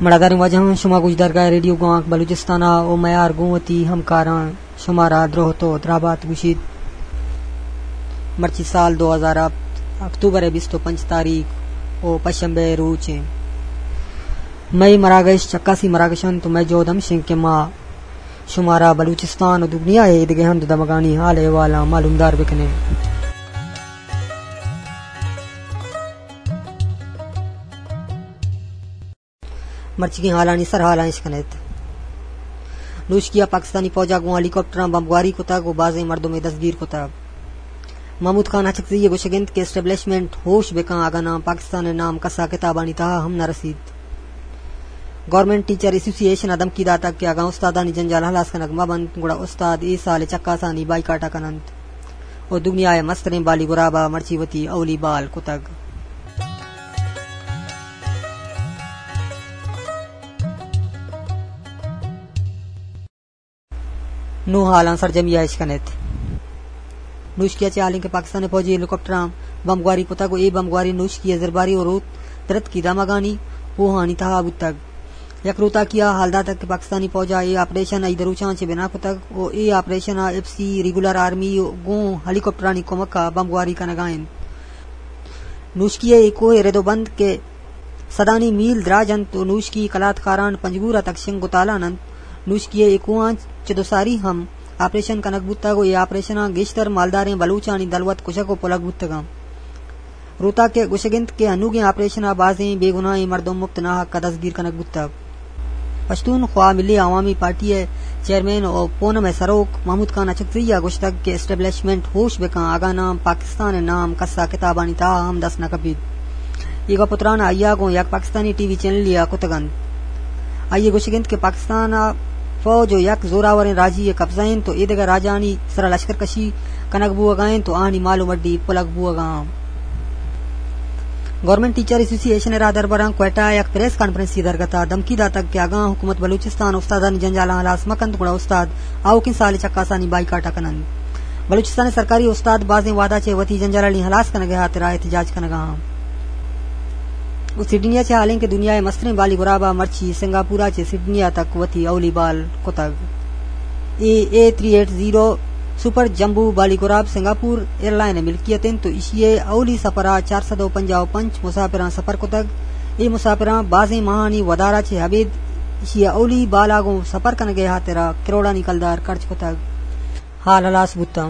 مڑاداریں واجہاں، شما گوشدارگاہ ریڈیو گوانک بلوچستان ءَ او میار گوں وتی ہمکاراں شمارا دروہ تو دراہبات گوشیت۔ مرچی سال دو ہزار ہفت، اکتوبر ءِ بیست ءُ پنچ تاریخ او پشنبے روچ ایں۔ مئے مراگش چکاسی مراگش انت تو مئے جہد ہمش انت کہ ما شمارا بلوچستان و دگنیا ءِ دگہ ہند و دمگانی حال احوالاں معلومدار بکنیں۔ مرچیگیں حالانی سرحالاں اش کنیت۔ نوشکی ءَ پاکستانی پوج ءَ گوں ہیلی کاپٹراں بمبگواری کتگ و بازیں مردمے دستگیر کتگ۔ محمود خان ہچکزئی ءِ گوشگ انت کہ اسٹیبلشمنٹ ہوش بکن، اگاں ناں پاکستان ءِ نام کسا کتابانی تہا ہم نہ رسیت۔ گورنمنٹ ٹیچر ایسوسی ایشن ءَ دھمکی داتگ کہ اگاں استادانی جنجال ہلاس کنگ مہ بنت، گڑا استاد اے سال ءِ چکاسانی بائیکاٹ ءَ کن انت۔ و دگنیا ءِ مستریں بالی گراب ءَ مرچی وتی اولی بال کتگ۔ نوں حالاں سرجمی ءَ اش کنیت۔ نوشکی ءَ چہ حالیں کہ پاکستان ءِ پوجی ہیلی کاپٹراں بمبگواری کتگ و اے بمبگواری نوشکی ءِ زرباری و روت درتکی دمگانی کوہانی تہا بوتگ۔ یک روتاکی ءَ حال داتگ کہ پاکستانی پوج ءَ اے آپریشن ءَ عید روچاں چہ بنا کتگ و اے آپریشن ءَ ایف سی ریگولر آرمی گوں ہیلی کاپٹرانی کمک ءَ بمبگواری کنگ ءَ انت۔ نوشکی ءِ اے کوہ رد و بند کہ صدانی میل دراج انت و نوشکی کلات کاران پنجگور ءَ تک شنگ و تالان انت۔ نوشکی ءِ اے کوہاں چہ دو ساری ہم آپریشن کنگ بوتگ و اے آپریشناں گیشتر مالداریں بلوچانی دلوت کشگ و پلگ بوتگاں۔ روتاک ءِ گوشگ انت کہ انوگیں آپریشن ءَ بازیں بے گناہیں مردم مپت ناحق ءَ دزگیر کنگ بوتگ۔ پشتونخوا ملی عوامی پارٹی ءِ چیئرمین و پونم ءِ سروک محمود خان اچکزئی ءَ گوشتگ کہ اسٹیبلشمنٹ ہوش بکن، اگاں ناں پاکستان ءِ نام کس ءَ کتابانی تہا ہم دست نہ کپیت۔ اے گپ و تران آئی ءَ گوں یک پاکستانی ٹی وی چینلے ءَ کتگ انت۔ آئی ءِ گوشگ انت کہ پاکستان ءِ فوج و یک زوراوریں راجی ءِ قبضہ انت و اے دگہ راجانی سرا لشکر کشی کنگ بوہگا انت و آہانی مال و مڈی پلگ بوہگا انت۔ گورنمنٹ ٹیچر ایسوسی ایشن ءِ راہدربراں کوئٹہ ءَ یک پریس کانفرنسے درگت ءَ دھمکی داتگ کہ اگاں حکومت بلوچستان استادانی جنجالاں ہلاس مہ کنت گڑا استاد آؤکیں سال ءِ چکاسانی بائیکاٹ ءَ کن انت۔ بلوچستان ءِ سرکاری استاد بازیں وہدا چہ وتی جنجالانی ہلاس کنگ ءِ ہاترا احتجاج کنگا انت۔ و سڈنی ءَ چہ حالیں کہ دنیا ءِ مستریں بالی گراب ءَ مرچی سنگاپور ءَ چہ سڈنی ءَ تک وتی اولی بال کتگ۔ اے اے تھری ایٹ زیرو سپر جمبو بالی گراب سنگاپور ایئرلائن ءِ ملکیت انت و ایشی ءِ اولی سفر ءَ چار سد و پنجاہ و پنچ مسافراں سفر کتگ۔ اے مسافراں بازیں ماہانی ودار ءَ چہ ابید ایشی ءِ اولی بال ءَ گوں سفر کنگ ءِ ہاترا کروڑانی کلدار خرچ کتگ۔ حال ہلاس بوتاں۔